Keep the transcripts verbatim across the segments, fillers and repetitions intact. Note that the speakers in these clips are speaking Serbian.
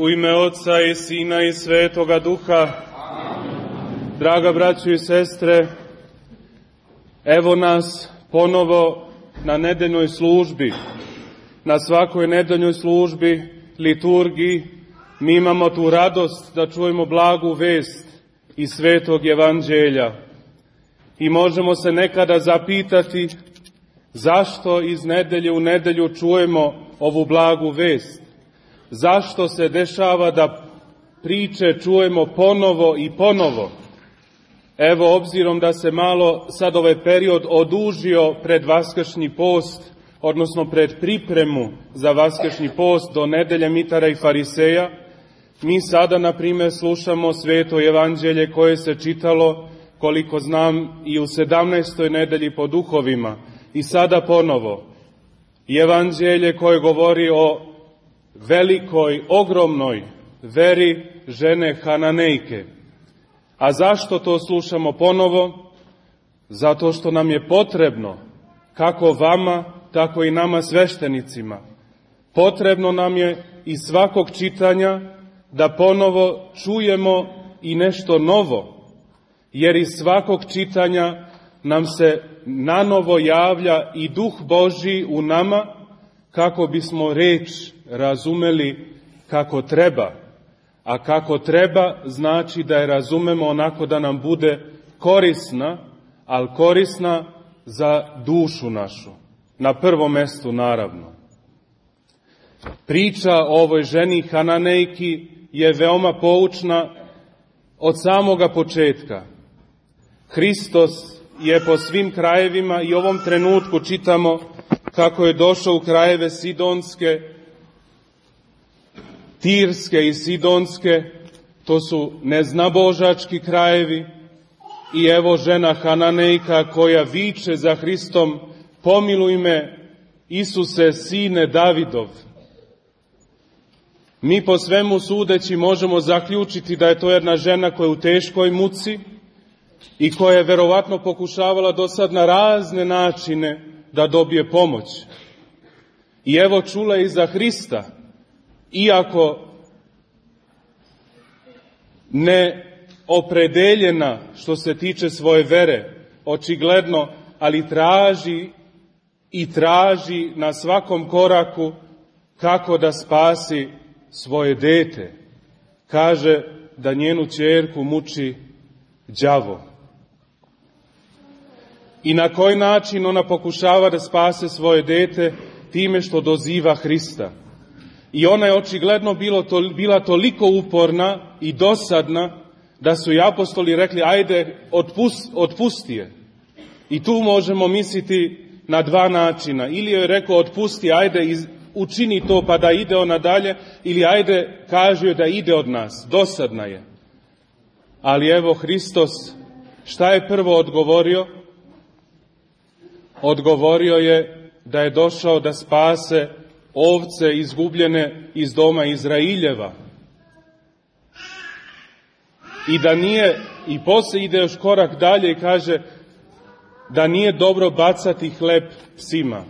U ime Oca i Sina i Svetoga Duha. Draga braćo i sestre, evo nas ponovo na nedeljnoj službi. Na svakoj nedeljnoj službi, liturgiji, mi imamo tu radost da čujemo blagu vest iz Svetog Evanđelja. I možemo se nekada zapitati zašto iz nedelje u nedelju čujemo ovu blagu vest. Zašto se dešava da priče čujemo ponovo i ponovo? Evo, obzirom da se malo sad ovaj period odužio pred Vaskršnji post, odnosno pred pripremu za Vaskršnji post do nedelje Mitara i Fariseja, mi sada, na primjer, slušamo Sveto Evanđelje koje se čitalo, koliko znam, i u sedamnaestoj nedelji po duhovima. I sada ponovo, Evanđelje koje govori o velikoj, ogromnoj veri žene Hananejke. A zašto to slušamo ponovo? Zato što nam je potrebno, kako vama, tako i nama sveštenicima. Potrebno nam je iz svakog čitanja da ponovo čujemo i nešto novo, jer iz svakog čitanja nam se nanovo javlja i Duh Božji u nama, kako bismo reč razumeli kako treba. A kako treba znači da je razumemo onako da nam bude korisna, ali korisna za dušu našu. Na prvom mestu, naravno. Priča o ovoj ženi Hananejki je veoma poučna od samoga početka. Hristos je po svim krajevima i ovom trenutku čitamo kako je došao u krajeve Sidonske, Tirske i Sidonske, to su neznabožački krajevi, i evo žena Hananejka koja viče za Hristom: pomiluj me, Isuse, sine Davidov. Mi po svemu sudeći možemo zaključiti da je to jedna žena koja je u teškoj muci i koja je verovatno pokušavala do sad na razne načine da dobije pomoć. I evo čula je i za Hrista, iako ne opredeljena što se tiče svoje vere, očigledno, ali traži i traži na svakom koraku kako da spasi svoje dete. Kaže da njenu ćerku muči đavo. I na koji način ona pokušava da spase svoje dete? Time što doziva Hrista. I ona je očigledno bilo to, bila toliko uporna i dosadna da su i apostoli rekli: ajde, otpust, otpusti je. I tu možemo misliti na dva načina. Ili joj je rekao: otpusti, ajde, iz, učini to pa da ide ona dalje, ili ajde, kaže joj da ide od nas. Dosadna je. Ali evo Hristos, šta je prvo odgovorio? Odgovorio je da je došao da spase ovce izgubljene iz doma Izrailjeva. I da nije, i poslije ide još korak dalje i kaže da nije dobro bacati hleb psima.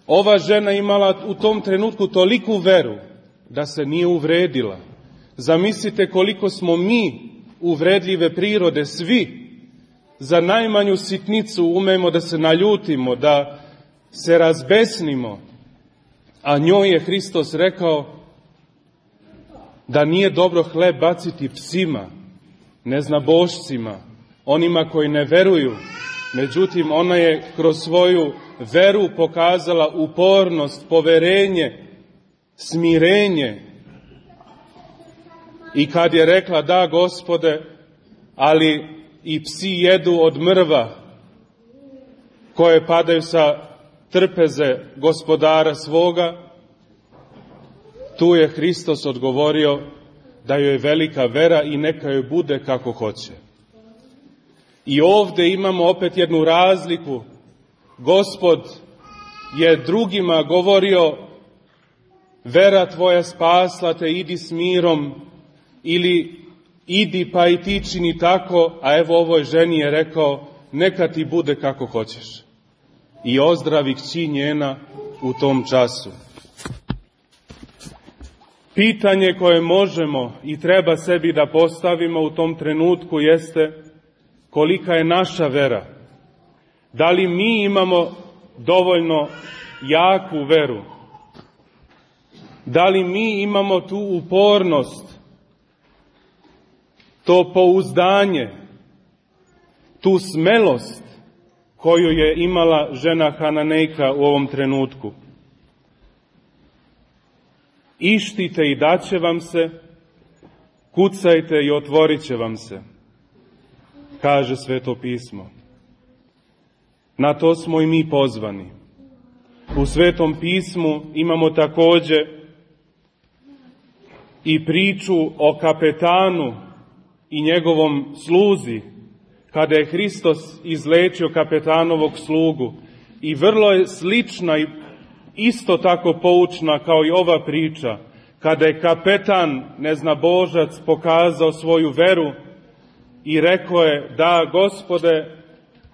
Ova žena imala u tom trenutku toliku veru da se nije uvredila. Zamislite koliko smo mi uvredljive prirode, svi. Za najmanju sitnicu umemo da se naljutimo, da se razbesnimo. A njoj je Hristos rekao da nije dobro hleb baciti psima, neznabošcima, onima koji ne veruju. Međutim, ona je kroz svoju veru pokazala upornost, poverenje, smirenje. I kad je rekla: da, Gospode, ali i psi jedu od mrva koje padaju sa trpeze gospodara svoga, tu je Hristos odgovorio da joj je velika vera i neka joj bude kako hoće. I ovde imamo opet jednu razliku. Gospod je drugima govorio: vera tvoja spasla te, idi s mirom, ili idi pa i ti čini tako, a evo ovoj ženi je rekao: neka ti bude kako hoćeš. I ozdravi kći njena u tom času. Pitanje koje možemo i treba sebi da postavimo u tom trenutku jeste kolika je naša vera. Da li mi imamo dovoljno jaku veru? Da li mi imamo tu upornost, to pouzdanje, tu smelost koju je imala žena Hananejka u ovom trenutku? Ištite i daće vam se, kucajte i otvorit će vam se, kaže Sveto pismo. Na to smo i mi pozvani. U Svetom pismu imamo također i priču o kapetanu i njegovom sluzi, kada je Hristos izlečio kapetanovog slugu. I vrlo je slična i isto tako poučna kao i ova priča, kada je kapetan, neznabožac, pokazao svoju veru i rekao je: da, Gospode,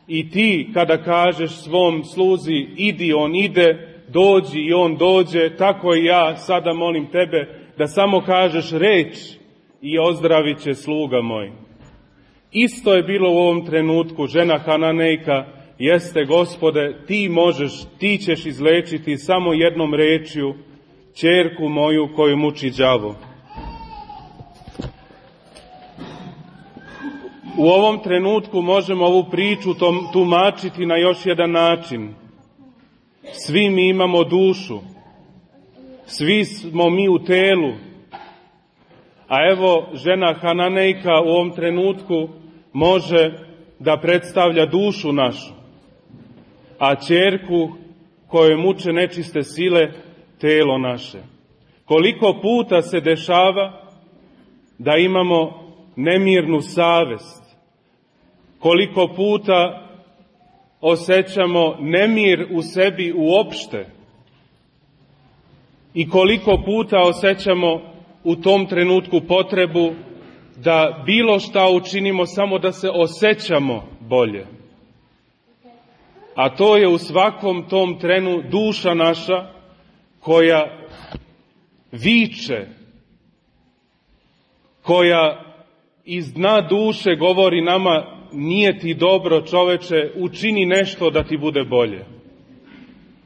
i ti kada kažeš svom sluzi idi, on ide, dođi i on dođe, tako i ja sada molim tebe da samo kažeš reč i ozdravit će sluga moj. Isto je bilo u ovom trenutku. Žena Hananejka: jeste, Gospode, ti možeš, ti ćeš izlečiti samo jednom rečju ćerku moju koju muči đavo. U ovom trenutku možemo ovu priču tumačiti na još jedan način. Svi mi imamo dušu, svi smo mi u telu, a evo žena Hananejka u ovom trenutku može da predstavlja dušu našu, a ćerku kojoj muče nečiste sile telo naše. Koliko puta se dešava da imamo nemirnu savest, koliko puta osjećamo nemir u sebi uopšte i koliko puta osjećamo u tom trenutku potrebu da bilo šta učinimo samo da se osjećamo bolje. A to je u svakom tom trenu duša naša koja viče, koja iz dna duše govori nama: nije ti dobro, čoveče, učini nešto da ti bude bolje.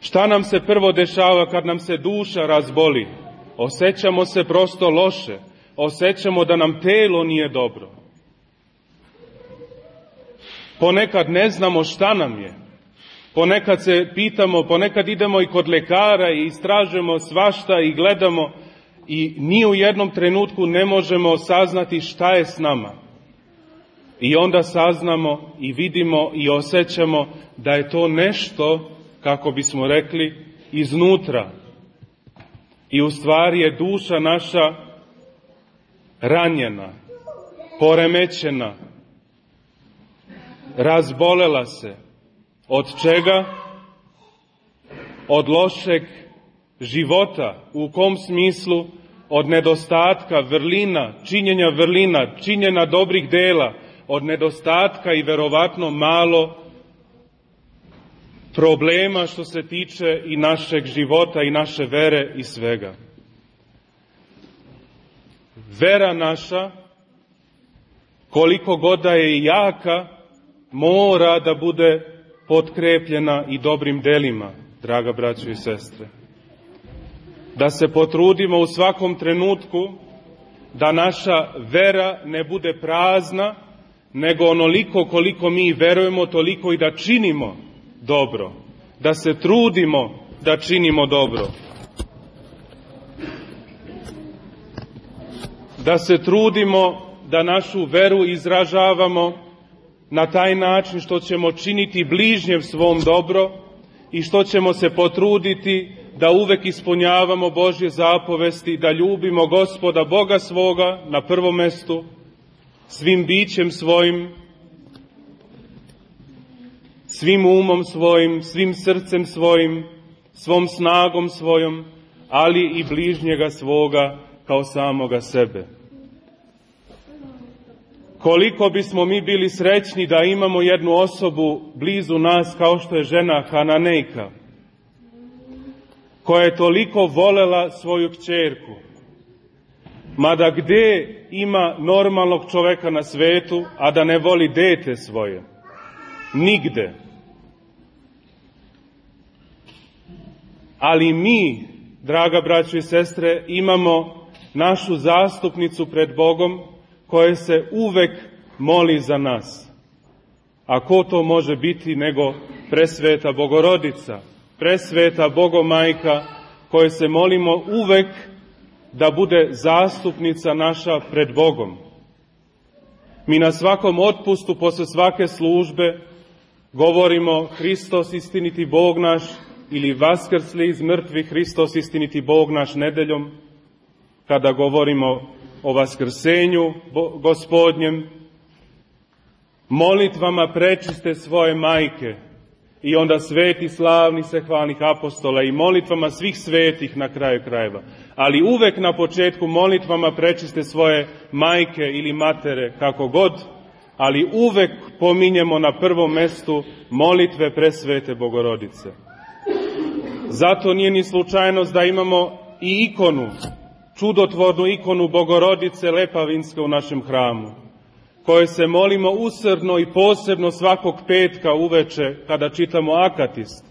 Šta nam se prvo dešava kad nam se duša razboli? Osjećamo se prosto loše, osjećamo da nam telo nije dobro. Ponekad ne znamo šta nam je. Ponekad se pitamo, ponekad idemo i kod lekara i istražujemo svašta i gledamo i ni u jednom trenutku ne možemo saznati šta je s nama. I onda saznamo i vidimo i osjećamo da je to nešto, kako bismo rekli, iznutra. I u stvari je duša naša ranjena, poremećena, razbolela se. Od čega? Od lošeg života. U kom smislu? Od nedostatka vrlina, činjenja vrlina, činjenja dobrih dela, od nedostatka i verovatno malo problema što se tiče i našeg života i naše vere i svega. Vera naša, koliko god da je jaka, mora da bude potkrepljena i dobrim delima, draga braćo i sestre. Da se potrudimo u svakom trenutku da naša vera ne bude prazna, nego onoliko koliko mi verujemo, toliko i da činimo dobro. Da se trudimo da činimo dobro. Da se trudimo da našu veru izražavamo na taj način što ćemo činiti bližnjem svom dobro i što ćemo se potruditi da uvek ispunjavamo Božje zapovesti, da ljubimo Gospoda Boga svoga na prvom mestu, svim bićem svojim, svim umom svojim, svim srcem svojim, svom snagom svojom, ali i bližnjega svoga kao samoga sebe. Koliko bismo mi bili srećni da imamo jednu osobu blizu nas kao što je žena Hananejka, koja je toliko volela svoju kćerku, Mada gde ima normalnog čoveka na svetu, a da ne voli dete svoje? Nigde. Ali mi, draga braćo i sestre, imamo našu zastupnicu pred Bogom koja se uvek moli za nas. A ko to može biti nego presveta Bogorodica, presveta Bogomajka, koje se molimo uvek da bude zastupnica naša pred Bogom. Mi na svakom otpustu posle svake službe govorimo Hristos istiniti Bog naš ili Vaskrsli iz mrtvih Hristos istiniti Bog naš nedeljom, kada govorimo o Vaskrsenju Gospodnjem, molitvama prečiste svoje majke i onda sveti slavni sehvalnih apostola i molitvama svih svetih na kraju krajeva. Ali uvek na početku molitvama prečiste svoje majke ili matere, kako god, ali uvek pominjemo na prvom mestu molitve presvete Bogorodice. Zato nije ni slučajnost da imamo i ikonu, čudotvornu ikonu Bogorodice Lepavinske u našem hramu, koje se molimo usrdno i posebno svakog petka uveče kada čitamo akatist.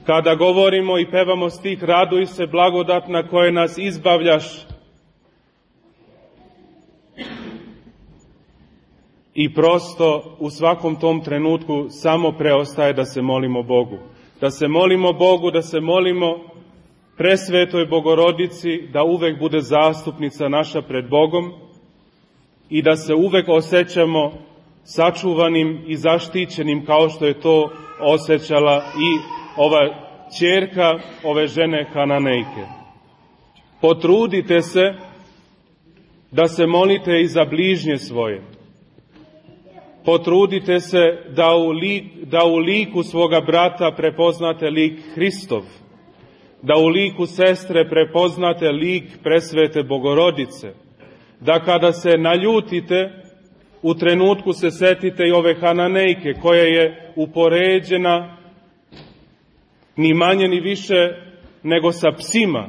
Kada govorimo i pevamo stih Raduj se blagodatna koje nas izbavljaš. I prosto u svakom tom trenutku samo preostaje da se molimo Bogu. Da se molimo Bogu, da se molimo presvetoj Bogorodici, da uvek bude zastupnica naša pred Bogom i da se uvek osjećamo sačuvanim i zaštićenim kao što je to osjećala i ova ćerka ove žene Hananejke. Potrudite se da se molite i za bližnje svoje. Potrudite se da u, lik, da u liku svoga brata prepoznate lik Hristov, da u liku sestre prepoznate lik presvete Bogorodice, da kada se naljutite, u trenutku se setite i ove Hananejke koja je upoređena ni manje ni više nego sa psima.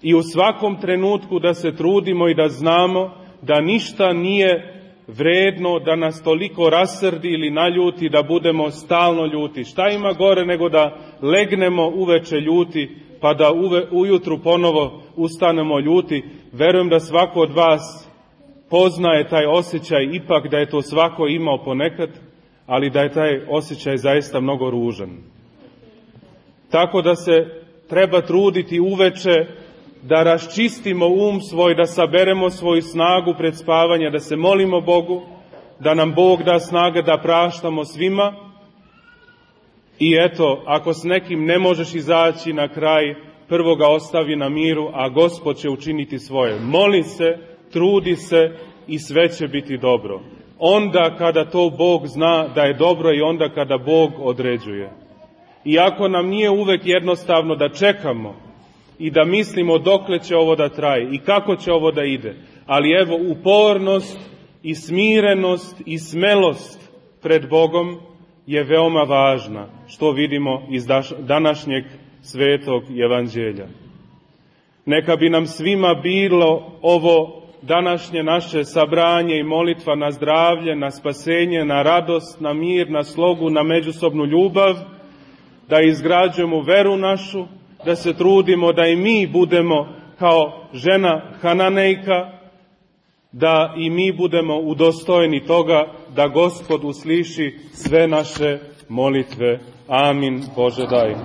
I u svakom trenutku da se trudimo i da znamo da ništa nije vredno da nas toliko rasrdi ili naljuti da budemo stalno ljuti. Šta ima gore nego da legnemo uveče ljuti pa da uve, ujutru ponovo ustanemo ljuti? Verujem da svako od vas poznaje taj osjećaj, ipak da je to svako imao ponekad, ali da je taj osjećaj zaista mnogo ružan. Tako da se treba truditi uveče da raščistimo um svoj, da saberemo svoju snagu pred spavanje, da se molimo Bogu, da nam Bog da snage da praštamo svima. I eto, ako s nekim ne možeš izaći na kraj, prvo ga ostavi na miru, a Gospod će učiniti svoje. Moli se, trudi se i sve će biti dobro. Onda kada to Bog zna da je dobro i onda kada Bog određuje. Iako nam nije uvek jednostavno da čekamo i da mislimo dokle će ovo da traje i kako će ovo da ide, ali evo upornost i smirenost i smelost pred Bogom je veoma važna, što vidimo iz današnjeg svetog evanđelja. Neka bi nam svima bilo ovo današnje naše sabranje i molitva na zdravlje, na spasenje, na radost, na mir, na slogu, na međusobnu ljubav, da izgrađujemo veru našu, da se trudimo da i mi budemo kao žena Hananejka, da i mi budemo udostojeni toga da Gospod usliši sve naše molitve. Amin. Bože daj.